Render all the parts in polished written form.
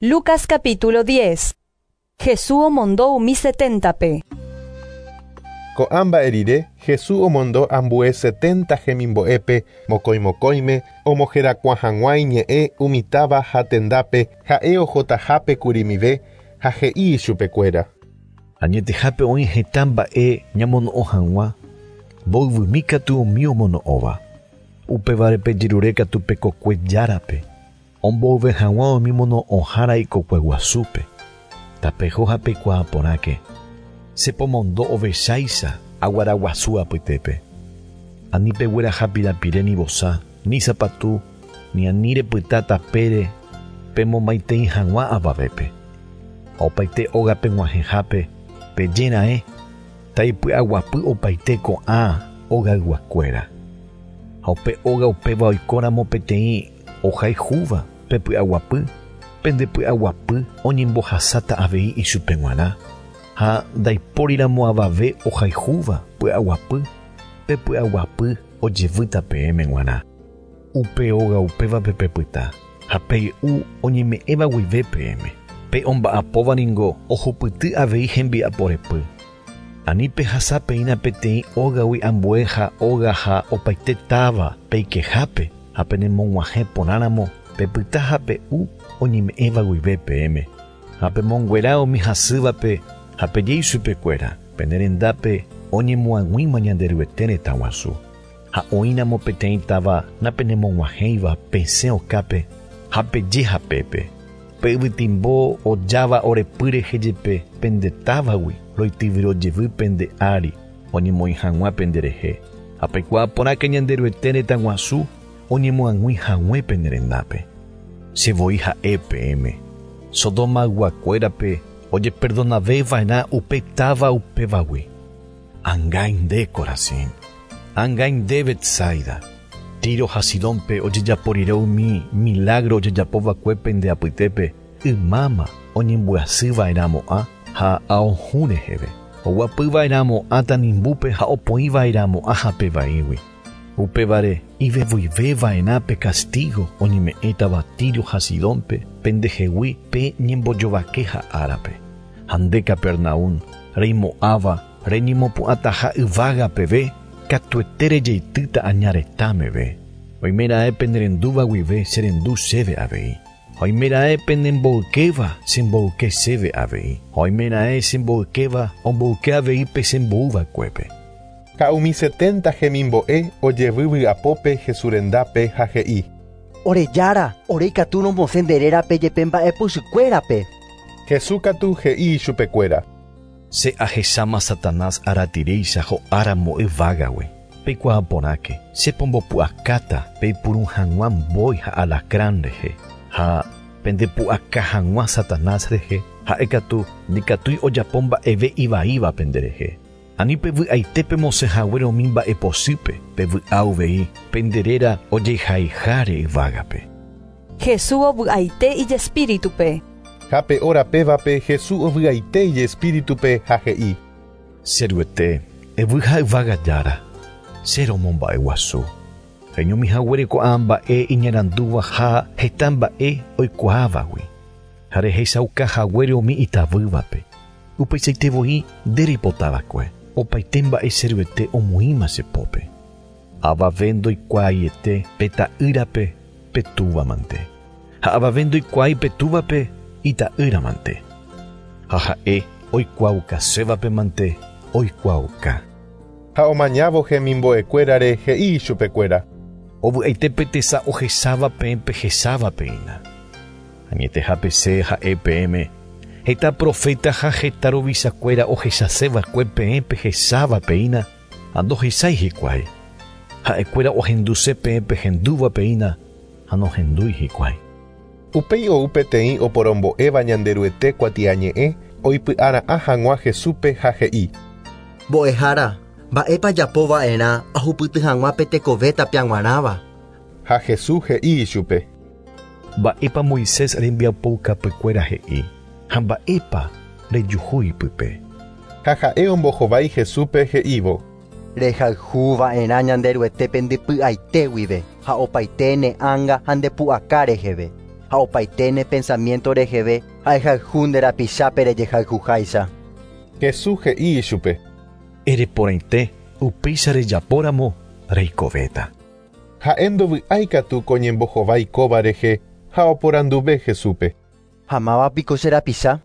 Lucas capítulo 10. Jesús omondo umi seténtape. Ko'ã mba'e rire, Jesús omondo ambue 70 hemimbo'épe mokõimokõime omoherakuã hag̃ua iñe'ẽ umi táva ha tendápe ha'e ohotahápe kurimive ha he'i ichupekuéra. Añetehápe oĩ heta mba'e ñamono'õ hag̃ua, mboyvymi katu umi omono'õva. Upévare pejerure katu pe kokue járape, omboyve hag̃ua umi mono'õhára ikokue guasúpe. Tapeho ha peikuaa porãke. Che pomondo ovecháicha aguara guasu apytépe. Ani pegueraha pirapire ni vosa, ni sapatu, ni ani repyta tapére pemomaitei hag̃ua avavépe. Ha opaite óga peg̃uahẽhápe peje raẽ taipy'aguapy opaite ko'ã ogayguakuéra. Ha upe óga upéva oikóramo peteĩ ohayhúva pe py'aguapy, pende py'aguapy oñembohasáta avei ichupe g̃uarã. Ha ndaipóriramo avave ohayhúva py'aguapy, pe py'aguapy ojevýta peẽme g̃uarã. Upe óga upévape pepyta, ha pey'u oñeme'ẽva guive peẽme. Pe omba'apóva ningo ohupyty avei hembiaporepy. Ani pehasa peína peteĩ ógagui ambue ha óga ha opaite táva peikehápe ha penemog̃uahẽ porãramo pepyta ha pe'u oñeme'ẽva guive peẽme. Ha pemonguera umi hasývape ha peje ichupekuéra pene rendápe oñemoag̃uíma Ñanderuete retã guasu. Ha oĩramo peteĩ táva napenemog̃uahẽiva pesẽ okápe ha peje hapépe. Pe yvytimbo ojáva orepy rehe jepe pende távagui roityvyrojevy pende ári oñemoĩ hag̃ua penderehe. Ha peikuaa porãke Ñanderuete retã guasu oñemoag̃ui hague pene rendápe. Che voi ha'e peẽme. Sodomayguakuérape ojeperdonaveva'erã upe táva upévagui. Angái nde Corazín, angái nde Betsaida. Tiro ha Sidónpe ojejapo rire umi milagro ojejapova'ekue pende apytépe ymáma oñembyasýva'erãmo'ã ha ao hũ reheve. Oguapýva'erãmo'ã tanimbúpe ha opoĩva'erãmo'ã hapevaígui. Upévare ivevuiveva'erã pe castigo oñeme'ẽtava Tiro ha Sidónpe pendehegui pe ñembojovakeha árape. Ha nde Capernaum reimo'ãva reñemopu'ãtaha yvága peve katuete rejeitýta aña retã meve. Oimeraẽ penerendúva guive cherendu chéve avei. Ha oimeraẽ penemboykéva chemboyke chéve avei. Ha oimeraẽ chemboykéva omboyke avei pe chembouva'ekuépe. Ha umi 70 hemimbo'e ojevy vy'apópe Jesús rendápe ha he'i. Ore Jára, ore ikatu romosẽ nde rérape jepe mba'epochykuérape. Jesús katu he'i ichupekuéra. Che ahecháma Satanás aratiréicha ho'áramo yvágagui. Peikuaa porãke, che pombopu'akáta peipuru hag̃ua mbói ha alacrán rehe. Ha pendepu'aka hag̃ua Satanás rehe, ha'e katu ndikatúi ojapo mba'eve ivaíva penderehe. Ani pevy'aite pemosẽ haguére umi mba'epochýpe, pevy'a uvei pende réra ojehaiháre yvágape. Jesús ovy'aite ijespíritupe. Ha pe hora pévape Jesús ovy'aite ijespíritupe ha he'i. Che Ruete, yvy ha yvága Jára, che romomba'eguasu. Reñomi haguére ko'ã mba'e iñarandúva ha heta mba'e oikuaávagui. Ha rehechauka haguére umi itavývape. Upeichaite voi nde reipotava'ekue. Opaite mba'e che Ruete omoĩma che pópe. Avave ndoikuaaiete pe ta'ýrape pe túvamante. Ha avave ndoikuaái pe túvape ita'ýramante. Ha ha'e oikuaaukasévape mante oikuaauka. Ha omañávo hemimbo'ekuérare he'i ichupekuéra. Ovy'aite pe tesa ohecháva peẽ pehecháva peína. Añetehápe che ha'e peẽme heta profeta ha heta ruvichakuéra ohechaseva'ekue peẽ pehecháva peína ha ndohechái hikuái. Ha'ekuéra ohenduse peẽ pehendúva peína ha nohendúi hikuái. Upéi ou peteĩ oporombo'éva Ñanderuete kuatiañe'ẽ oipy'ara'ã hag̃ua Jesúspe ha he'i. Mbo'ehára, mba'épa ajapova'erã ahupyty hag̃ua pe tekove tapia g̃uarãva. Ha Jesús he'i ichupe. Mba'épa Moisés rembiapoukapykuéra he'i ha mba'épa rejuhu ipype. Ha ha'e ombohovái Jesúspe he'ívo. Rehayhuva'erã Ñanderuetépe nde py'aite guive ha opaite ne ánga ha nde pu'aka reheve. Ha opaite ne pensamiento reheve ha ehayhu nde rapichápe rejehayhuháicha. Jesús he'i ichupe. Ereporãite upéicha rejapóramo reikovéta. Ha'e ndovy'áikatu ko ñembohovái kóva rehe ha oporanduve Jesúspe. Ha mávapiko che rapicha?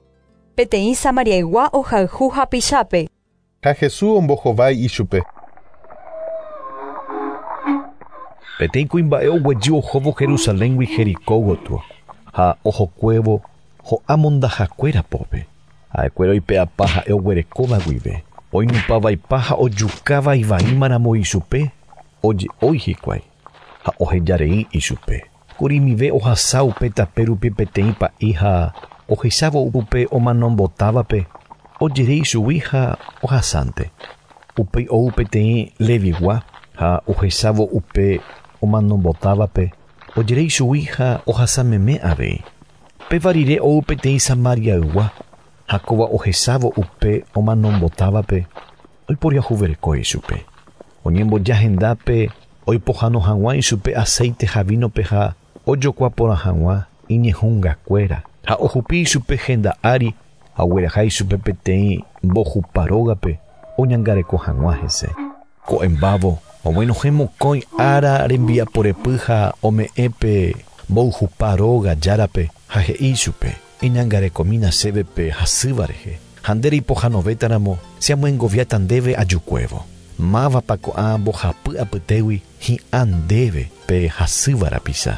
Peteĩ Samariaygua ohayhu hapichápe. Ha Jesús ombohovái ichupe. Peteĩ kuimba'e oguejy ohóvo Jerusaléngui Jericó gotyo ha ohokuévo ho'a mondahakuéra pópe. Ha'ekuéra oipe'apa ha'e oguerekóva guive. Oinupãvaipa ha ojukáva ivaímaramo ichupe, oje'ói hikuái ha ohejarei ichupe. Kurimive ohasa upe tape rupi peteĩ pa'i ha ohechávo upe omanombotávape ojere ichugui ha ohasánte. Upéi ou peteĩ Levigua ha ohechávo upe omanombotávape ojere ichugui ha ohasameme avei. Péva rire ou peteĩ Samariaygua ha kóva ohechávo upe omanombotávape oiporiahuvereko ichupe. Oñemboja hendápe oipohãno hag̃ua ichupe aceite ha vínope ha ojokua porã hag̃ua iñehungakuéra ha ohupi ichupe henda ári ha ogueraha ichupe peteĩ mbohupa rógape oñangareko hag̃ua hese. Ko'ẽmbávo oguenohẽ mokõi ára rembiaporepy ha ome'ẽ pe mboyhupa róga járape ha he'i ichupe: Eñangarekomína chéve pe hasýva rehe, ha nde reipohãnovétaramo che amyengoviáta ndéve ajukuévo. Mávapa ko'ã mbohapy apytégui hi'ã ndéve pe hasýva rapicha?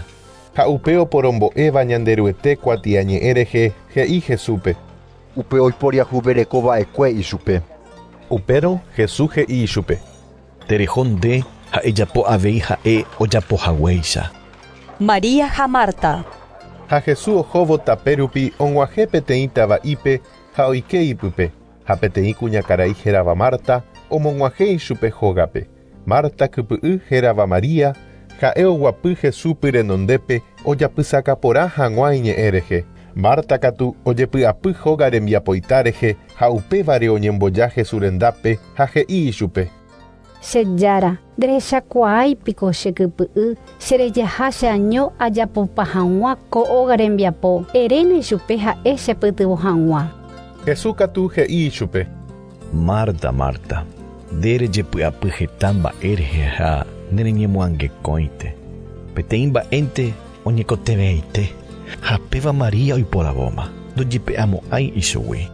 Ha upe oporombo'éva Ñanderuete kuatiañe'ẽ rehe he'i Jesúspe. Upe oiporiahuverekova'ekue ichupe. Upérõ Jesús he'i ichupe. Tereho nde ha ejapo avei ha'e ojapohaguéicha. María ha Marta. Ha Jesús ohóvo tape rupi og̃uahẽ peteĩ tava'ípe ha oike ipype. Ha peteĩ kuñakarai hérava Marta omog̃uahẽ ichupe hógape. Marta kypy'y hérava María ha'e oguapy Jesúspe renondépe ojapysaka porã hag̃ua iñe'ẽ rehe. Marta katu ojepy'apy hóga rembiapoita rehe ha upévare oñemboja Jesús rendápe ha he'i ichupe. Che Jára, nderechakuaáipiko che kypy'y cherejaha cheaño ajapopa hag̃ua ko óga rembiapo eréna ichupe ha'e chepytyvõ hag̃ua. Jesús katu he'i ichupe. Marta, Marta, nde rejepy'apy heta mba'e rehe ha nereñemoangekõinte. Peteĩ mba'énte oñekotevẽite ha péva María oiporavóma ndojepe'amo'ãi ichugui.